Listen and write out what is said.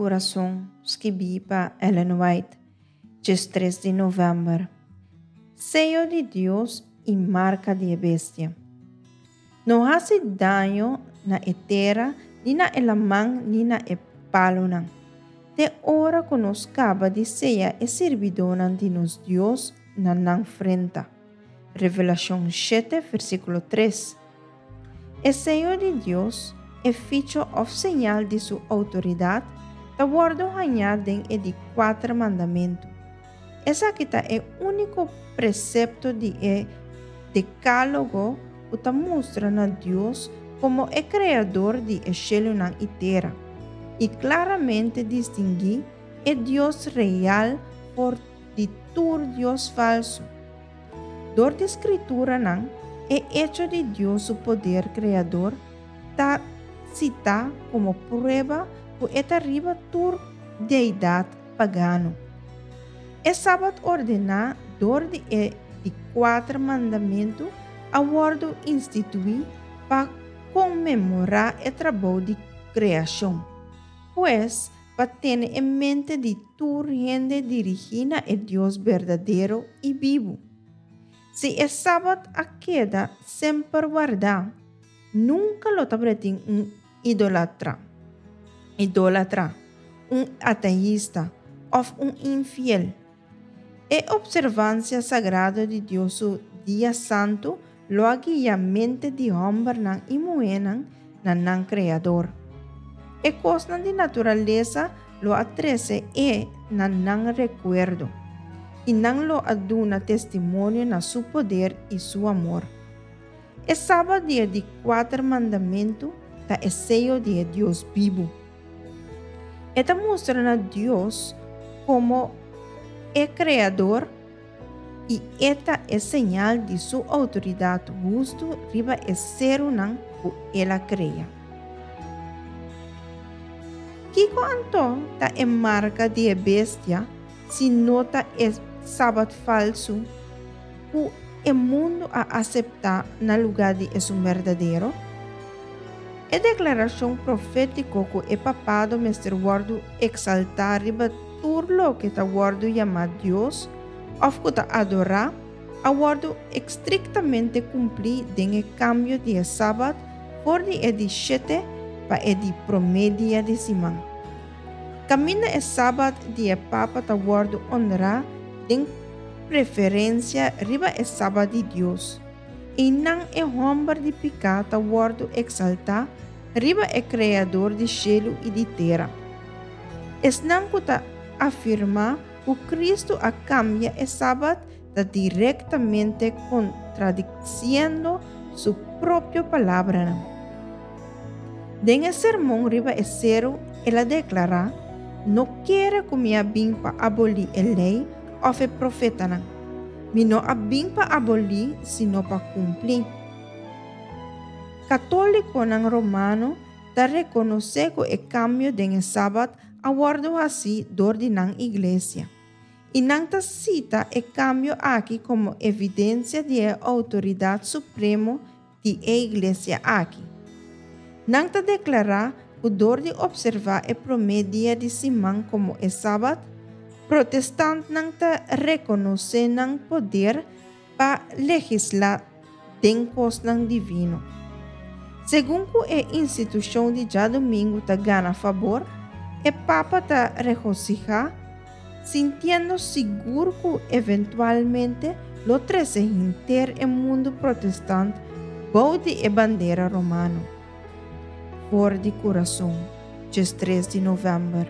Kurason, skibí pa Ellen White, 13 di novèmber. Seyo di Dios i marka di e bestia. No hasi daño na e tera, ni na e laman, ni na e palunan, te ora ku nos kaba di seya e sirbidónan di nos Dios na nan frenta. Revelashon shete, versíkulo tres. E seyo di Dios, e ficho òf señal di su outoridat, ta wòrdu hañá den e di kuater mandamentu. Esaki ta e úniko presepto di e Dekálogo ku ta mustra na Dios komo e Kreador di e shelunan i tera, i klaramente distinguí e Dios real for di tur dios falsu. Dor di Skrituranan, e echo di Dios su poder kreador ta sitá komo prueba ku e ta riba tur deidat pagano. E Sabat ordená dor di e di kuater mandamentu a wòrdu instituí pa konmemorá e trabou di kreashon. Pues, pa tene e mente di tur hende dirigí na e Dios berdadero i bibu. Si e Sabat a keda semper wardá, nunka lo tabatin un idolatra, idólatra, un ateista òf un infiel. E opservansia sagrado di Dios su dia santu lo a guia mente di hòmbernan i muhénan na nan Kreador. E kosnan di naturalesa lo a trese e na nan rekuerdo, i nan lo a duna testimonio na su poder i su amor. E Sabat di e di kuater mandamentu ta e seyo di e Dios bibu. E ta mustra na Dios komo e Kreador i e ta e señal di su outoridat hustu riba e serunan ku el a krea. Kiko anto ta e marka di e bestia si no ta e sabat falsu ku e mundu a aseptá na lugá di esun berdadero? E deklarashon profétiko ku e papado mester wòrdu eksaltá riba tur loke ta wòrdu yamá dios òf ku ta adorá a wòrdu estriktamente kumplí den e kambio di e sabat for di e di shete pa e di promé dia di siman. Kaminda e sabat di e papa ta wòrdu onrá den preferensia riba e sabat di Dios. Einan e hòmber di piká ta wòrdu eksaltá riba e Kreador di shelu i di tera. Esnan ku ta afirmá ku Kristu a kambia e Sabat ta direktamente kontradisiendo su propio palabranan. Den e Sermon riba e Seru el a deklará, No kere ku mi a bin pa abolí e Lei òf e Profetanan. Mi no a bin pa abolí, sino pa kumplí. Katólikonan romano ta rekonosé ku e kambio den e Sabat a wòrdu hasí dor di nan iglesia, i nan ta sita e kambio aki komo evidensia di e outoridat supremo di e iglesia aki. Nan ta deklará ku dor di opservá e promé dia di siman komo e Sabat, protestantnan ta rekonosé nan poder pa legislá den kosnan divino. Segun ku e institushon di djadumingu ta gana fabor, e papa ta regosihá, sintiendo sigur ku eventualmente lo trese henter e mundu protestant bou di e bandera romano. For di kurason, 13 di novèmber.